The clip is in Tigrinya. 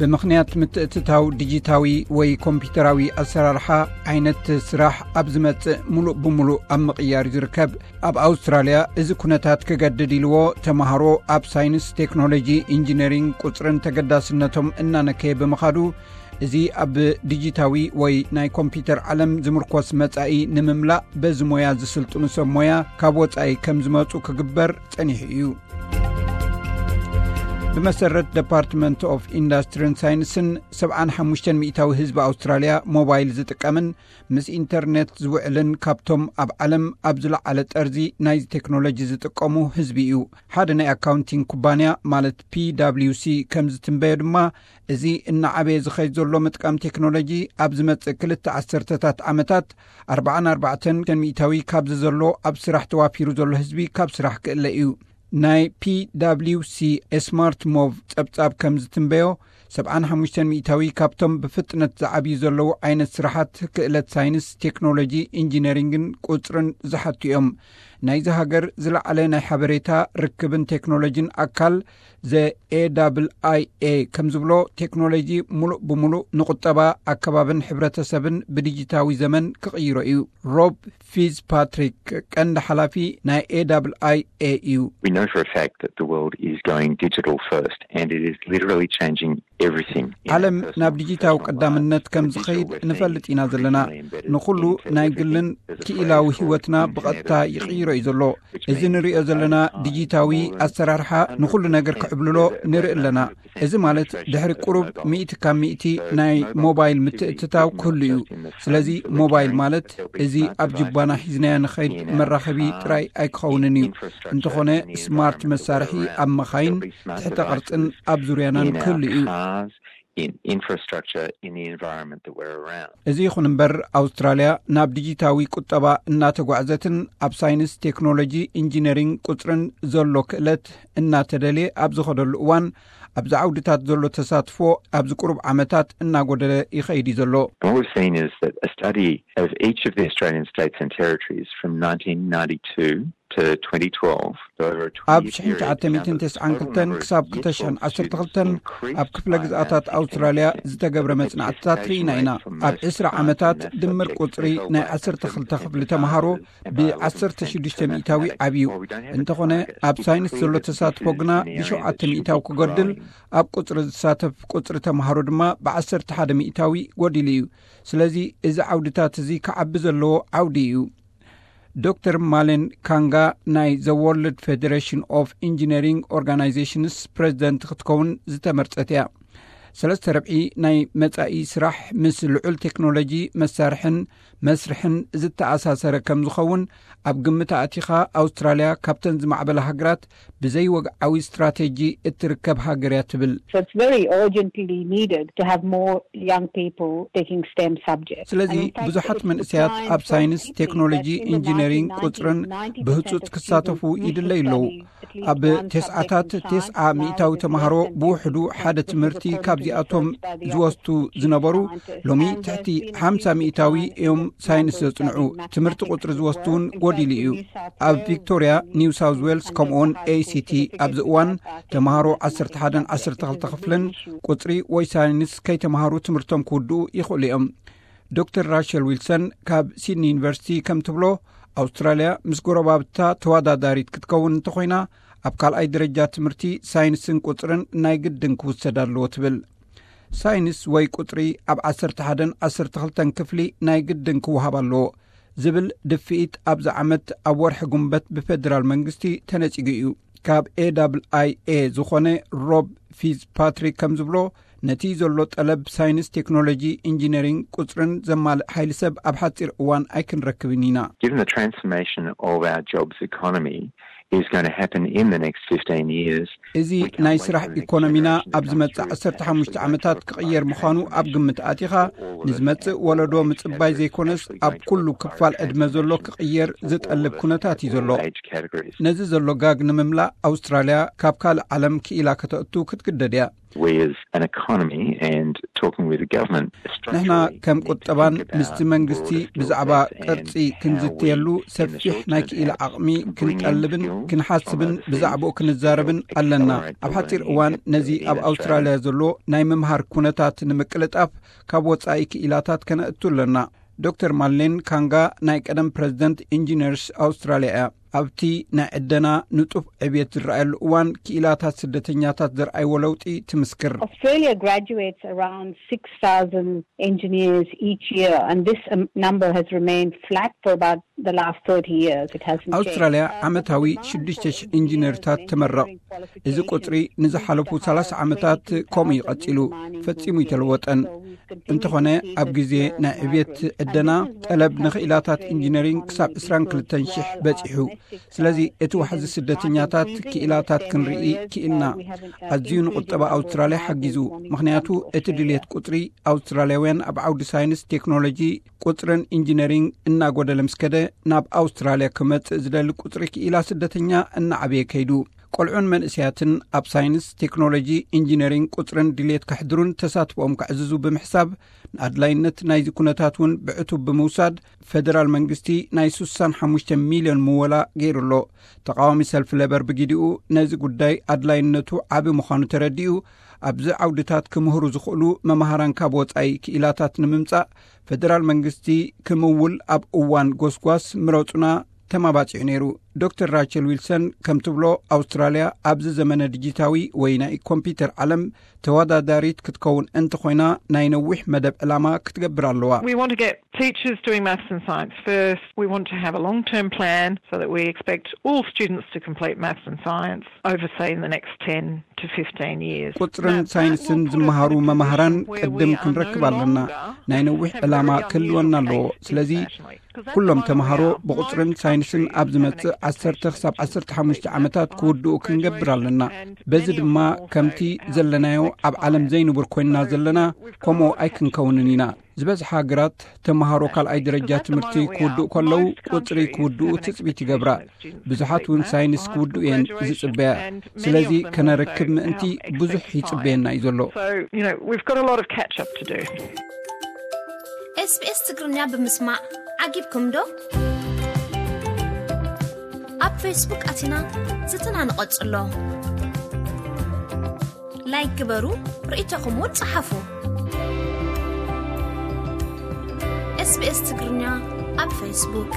ብምኽንያት ምትእትታው ዲጂታዊ ወይ ኮምፒውተራዊ ኣሰራርሓ፣ ዓይነት ስራሕ ኣብ ዝመጽእ ምሉእ ብምሉእ ኣብ ምቕያር እዩ ዝርከብ። ኣብ ኣውስትራልያ እዚ ኩነታት ክገድድ ኢልዎ፣ ተማሃሮ ኣብ ሳይንስ፣ ቴክኖሎጂ፣ ኢንጂነሪንግ፣ ቁጽርን ተገዳስነቶም እናነከየ ብምኻዱ፣ እዚ ኣብ ዲጂታዊ ወይ ናይ ኮምፒውተር ዓለም ዝምርኮስ መጻኢ ንምምላእ፣ በዚ ሞያ ዝስልጥኑ ሰብ ሞያ ካብ ወጻኢ ከም ዝመጹ ክግበር ጸኒሑ እዩ። ብመሰረት ደፓርትመንት ኦፍ ኢንዳስትሪን ሳይንስን፣ ሰብዓን ሓሙሽተን ሚእታዊ ህዝቢ ኣውስትራልያ ሞባይል ዝጥቀምን ምስ ኢንተርኔት ዝውዕልን ካብቶም ኣብ ዓለም ኣብ ዝለዓለ ጠርዚ ናይዚ ቴክኖሎጂ ዝጥቀሙ ህዝቢ እዩ። ሓደ ናይ ኣካውንቲንግ ኩባንያ፣ ማለት ፒ ዳብሊው ሲ፣ ከም ዝትንበዮ ድማ፣ እዚ እናዓበየ ዝኸይድ ዘሎ ምጥቃም ቴክኖሎጂ ኣብ ዝመጽእ ክልተ ዓሰርተታት ዓመታት ኣርባዓን ኣርባዕተን ሚእታዊ ካብዚ ዘሎ ኣብ ስራሕ ተዋፊሩ ዘሎ ህዝቢ ካብ ስራሕ ክእለ እዩ። ናይ ፒ ዳብሊው ሲ ስማርት ሞቭ ጸብጻብ ከም ዝትንበዮ፣ ሰብዓን ሓሙሽተን ሚእታዊ ካብቶም ብፍጥነት ዝዓብዩ ዘለዉ ዓይነት ስራሓት ክእለት ሳይንስ፣ ቴክኖሎጂ፣ ኢንጂነሪንግን ቁጽርን ዝሓቱ እዮም። ናይዚ ሃገር ዝለዓለ ናይ ሓበሬታ ርክብን ቴክኖሎጂን ኣካል ዘ ኤ ዳብል ኣይ ኤ ከም ዝብሎ፣ ቴክኖሎጂ ሙሉእ ብሙሉእ ንቁጠባ፣ ኣከባብን ሕብረተሰብን ብዲጂታዊ ዘመን ክቕይሮ እዩ። ሮብ ፊዝ ፓትሪክ፣ ቀንዲ ሓላፊ ናይ ኤ ዳብል ኣይ ኤ እዩ። We know for a fact that the world is going digital first, and it is literally changing everything. ዓለም ናብ ዲጂታዊ ቀዳምነት ከም ዝኸይድ ንፈልጥ ኢና ዘለና። ንኹሉ ናይ ግልን ክኢላዊ ህይወትና ብቐጥታ ይቕይሮ እዩ ዘሎ። እዚ ንሪኦ ዘለና ዲጂታዊ ኣሰራርሓ ንኹሉ ነገር ክዕብልሎ ንርኢ ኣለና። እዚ ማለት ድሕሪ ቁሩብ ሚእቲ ካብ ሚእቲ ናይ ሞባይል ምትእትታው ክህሉ እዩ። ስለዚ ሞባይል ማለት እዚ ኣብ ጅባና ሒዝናዮ ንኸይድ መራኸቢ ጥራይ ኣይክኸውንን እዩ። እንተኾነ ስማርት መሳርሒ ኣብ መኻይን፣ ትሕተ ቅርጽን ኣብ ዙርያናን ክህሉ እዩ። In infrastructure, in the environment that we're around. እዚ ይኹን እምበር፣ ኣውስትራልያ ናብ ዲጂታዊ ቁጠባ እናተጓዕዘትን ኣብ ሳይንስ፣ ቴክኖሎጂ፣ ኢንጂነሪንግ፣ ቁጽርን ዘሎ ክእለት እናተደልየ ኣብ ዝኸደሉ እዋን፣ ኣብዚ ዓውድታት ዘሎ ተሳትፎ ኣብዚ ቁሩብ ዓመታት እናጎደለ ይኸይድ እዩ ዘሎ። And what we've seen is that a study of each of the Australian states and territories from nineteen ninety-two to twenty twelve, so over a ኣብ twenty-year period, the number of total number of years of students increased. ሽሕን ትሽዓተ ሚእትን ተስዓን ክልተን ክሳብ ክልተ ሽሕን ዓሰርተ ክልተን ኣብ ክፍለ ግዝኣታት ኣውስትራልያ ዝተገብረ መጽናዕትታት ርኢና ኢና። ኣብ ዕስራ ዓመታት ድምር ቁጽሪ ናይ ዓሰርተ ክልተ ክፍሊ ተምሃሮ ብ ዓሰርተ ሽዱሽተ ሚእታዊ ዓብዩ። እንተኾነ፣ ኣብ ሳይንስ ዘሎ ተሳትፎ ግና ብሸውዓተ ሚእታዊ ክጎድል፣ ኣብ ቁጽሪ ዝሳተፍ ቁጽሪ ተምሃሮ ድማ ብዓሰርተ ሓደ ሚእታዊ ጎዲሉ እዩ። ስለዚ፣ እዚ ዓውድታት እዚ ክዓቢ ዘለዎ ዓውዲ እዩ። ዶክተር ማሌን ካንጋ ናይ ዘ ወርልድ ፌደሬሽን ኦፍ ኢንጂነሪንግ ኦርጋናይዜሽንስ ፕሬዚደንት ክትከውን ዝተመርጸት እያ። ሰለስተ ረብዒ ናይ መጻኢ ስራሕ ምስ ልዑል ቴክኖሎጂ፣ መሳርሕን መስርሕን ዝተኣሳሰረ ከም ዝኸውን ኣብ ግምት ኣእቲኻ፣ ኣውስትራልያ ካብተን ዝማዕበላ ሃገራት ብዘይወግዓዊ ስትራቴጂ እትርከብ ሃገር እያ ትብል። So it's very urgently needed to have more young people taking STEM subjects. ስለዚ ብዙሓት መንእሰያት ኣብ ሳይንስ፣ ቴክኖሎጂ፣ ኢንጂነሪንግ፣ ቁጽርን ብህጹጽ ክሳተፉ ይድለዩ ኣለዉ። ኣብ ተስዓታት ተስዓ ሚእታዊ ተምሃሮ ብውሕዱ ሓደ ትምህርቲ ካብዚኣቶም ዝወስዱ ዝነበሩ፣ ሎሚ ትሕቲ ሓምሳ ሚእታዊ እዮም ሳይንስ ዘጽንዑ። ትምህርቲ ቁጽሪ ዝወስዱ እውን ጎዲሉ እዩ። ኣብ ቪክቶርያ፣ ኒው ሳውዝ ዌልስ፣ ከምኡውን ኤ ሲ ቲ ኣብዚ እዋን ተምሃሮ ዓሰርተ ሓደን ዓሰርተ ክልተ ክፍልን ቁጽሪ ወይ ሳይንስ ከይተምሃሩ ትምህርቶም ክውድኡ ይኽእሉ እዮም። ዶክተር ራሸል ዊልሰን ካብ ሲድኒ ዩኒቨርሲቲ ከም ትብሎ፣ ኣውስትራልያ ምስ ጎረባብታ ተወዳዳሪት ክትከውን እንተኾይና፣ ኣብ ካልኣይ ደረጃ ትምህርቲ ሳይንስን ቁጽርን ናይ ግድን ክውሰድ ኣለዎ ትብል። ሳይንስ ወይ ቁጽሪ ኣብ ዓሰርተ ሓደን ዓሰርተ ክልተን ክፍሊ ናይ ግድን ክወሃብ ኣለዎ ዝብል ድፍኢት ኣብዚ ዓመት ኣብ ወርሒ ጉንበት ብፌደራል መንግስቲ ተነጺጉ እዩ። ካብ ኤ ዳብል ኣይ ኤ ዝኾነ ሮብ ፊዝ ፓትሪክ ከም ዝብሎ፣ ነቲ ዘሎ ጠለብ ሳይንስ፣ ቴክኖሎጂ፣ ኢንጂነሪንግ፣ ቁጽርን ዘማልእ ሓይሊ ሰብ ኣብ ሓጺር እዋን ኣይክንረክብን ኢና። Given the transformation of our jobs economy is going to happen in the next fifteen years, እዚ ናይ ስራሕ ኢኮኖሚና ኣብ ዝመጽእ ዓሰርተ ሓሙሽተ ዓመታት ክቕየር ምዃኑ ኣብ ግምት ኣቲኻ፣ ንዝመጽእ ወለዶ ምጽባይ ዘይኮነስ፣ ኣብ ኩሉ ክፋል ዕድመ ዘሎ ክቕየር ዝጠልብ ኩነታት እዩ ዘሎ። Age categories. ነዚ ዘሎ ጋግ ንምምላእ፣ ኣውስትራልያ ካብ ካልእ ዓለም ክኢላ ከተእቱ ክትግደድ እያ። We as an economy and talking with the government, ንሕና ከም ቁጠባን ምስቲ መንግስቲ ብዛዕባ ቅርጺ ክንዝተየሉ ሰፊሕ ናይ ክኢላ ዓቕሚ ክንጠልብን ክንሓስብን ብዛዕባኡ ክንዛረብን ኣለና። ኣብ ሓጺር እዋን ነዚ ኣብ ኣውስትራልያ ዘሎ ናይ ምምሃር ኩነታት ንምቅልጣፍ ካብ ወጻኢ ክኢላታት ከነእቱ ኣለና። ዶክተር ማሌን ካንጋ ናይ ቀደም ፕረዚደንት ኢንጂነርስ ኣውስትራልያ እያ። ኣብቲ ናይ ዕደና ንጡፍ ዕብየት ዝረኣየሉ እዋን ክኢላታት ስደተኛታት ዘርኣይዎ ለውጢ ትምስክር። Australia graduates around six thousand engineers each year, and this um, number has remained flat for about the last thirty years. It hasn't ኣውስትራልያ changed. ዓመታዊ ሽዱሽተ ሽሕ ኢንጂነርታት ትመረቕ። እዚ ቁጽሪ ንዝሓለፉ ሰላሳ ዓመታት ከምኡ እዩ ቀጺሉ፣ ፈጺሙ ይተለወጠን። እንተኾነ ኣብ ግዜ ናይ ዕብየት ዕደና ጠለብ ንኽኢላታት ኢንጂነሪንግ ክሳብ ዕስራን ክልተን ሽሕ በጺሑ። ስለዚ እቲ ዋሕዚ ስደተኛታት ክኢላታት ክንርኢ ክኢልና። ኣዝዩ ንቁጠባ ኣውስትራልያ ሓጊዙ፣ ምኽንያቱ እቲ ድልየት ቁጽሪ ኣውስትራልያውያን ኣብ ዓውዲ ሳይንስ፣ ቴክኖሎጂ፣ ቁጽርን ኢንጂነሪንግ እናጎደለ ምስ ከደ ናብ ኣውስትራልያ ክመጽእ ዝደሊ ቁጽሪ ክኢላ ስደተኛ እናዓበየ ከይዱ። ቆልዑን መንእሰያትን ኣብ ሳይንስ፣ ቴክኖሎጂ፣ ኢንጂነሪንግ፣ ቁጽርን ድልየት ከሕድሩን ተሳትፎኦም ከዕዝዙ ብምሕሳብ ንኣድላይነት ናይዚ ኩነታት እውን ብዕቱብ ብምውሳድ ፈደራል መንግስቲ ናይ ስሳን ሓሙሽተ ሚልዮን ምወላ ገይሩ ኣሎ። ተቃዋሚ ሰልፊ ሌበር ብግዲኡ ነዚ ጉዳይ ኣድላይነቱ ዓቢ ምዃኑ ተረዲኡ ኣብዚ ዓውድታት ክምህሩ ዝኽእሉ መምሃራን ካብ ወጻኢ ክኢላታት ንምምጻእ ፈደራል መንግስቲ ክምውል ኣብ እዋን ጎስጓስ ምረጹና ተማባጺዑ ነይሩ። ዶክተር ራቸል ዊልሰን ከም ትብሎ ኣውስትራልያ ኣብዚ ዘመነ ዲጂታዊ ወይ ናይ ኮምፒውተር ዓለም ተወዳዳሪት ክትከውን እንተኾይና ናይ ነዊሕ መደብ ዕላማ ክትገብር ኣለዋ። We want to get teachers doing maths and science first. We want to have a long term plan so that we expect all students to complete maths and science over, say, in the next ten to fifteen years. ቁጽርን ሳይንስን ዝመሃሩ መማህራን ቅድም ክንረክብ ኣለና። ናይ ነዊሕ ዕላማ ክህልወና ኣለዎ። ስለዚ ኩሎም ተምሃሮ ብቁጽርን ሳይንስን ኣብ ዝመጽእ ዓሰርተ ክሳብ ዓሰርተ ሓሙሽተ ዓመታት ክውድኡ ክንገብር ኣለና። በዚ ድማ ከምቲ ዘለናዮ ኣብ ዓለም ዘይንቡር ኮይንና ዘለና ከምኡ ኣይክንከውንን ኢና። ዝበዝሓ ሃገራት ተምሃሮ ካልኣይ ደረጃ ትምህርቲ ክውድኡ ከለዉ ቁጽሪ ክውድኡ ትጽቢት ይገብራ። ብዙሓት እውን ሳይንስ ክውድኡ እየን ዝጽበያ። ስለዚ ከነርክብ ምእንቲ ብዙሕ ይጽበየና እዩ ዘሎ። So, you know, we've got a lot of catch up to do. SBS ትግርኛ ብምስማዕ ዓጊብኩም ዶ? ኣብ ፌስቡክ ኣቲና ዝትና ንቐጽሎ። ላይክ ግበሩ፣ ርእይቶኹም እውን ጸሓፉ። SBS ትግርኛ ኣብ ፌስቡክ።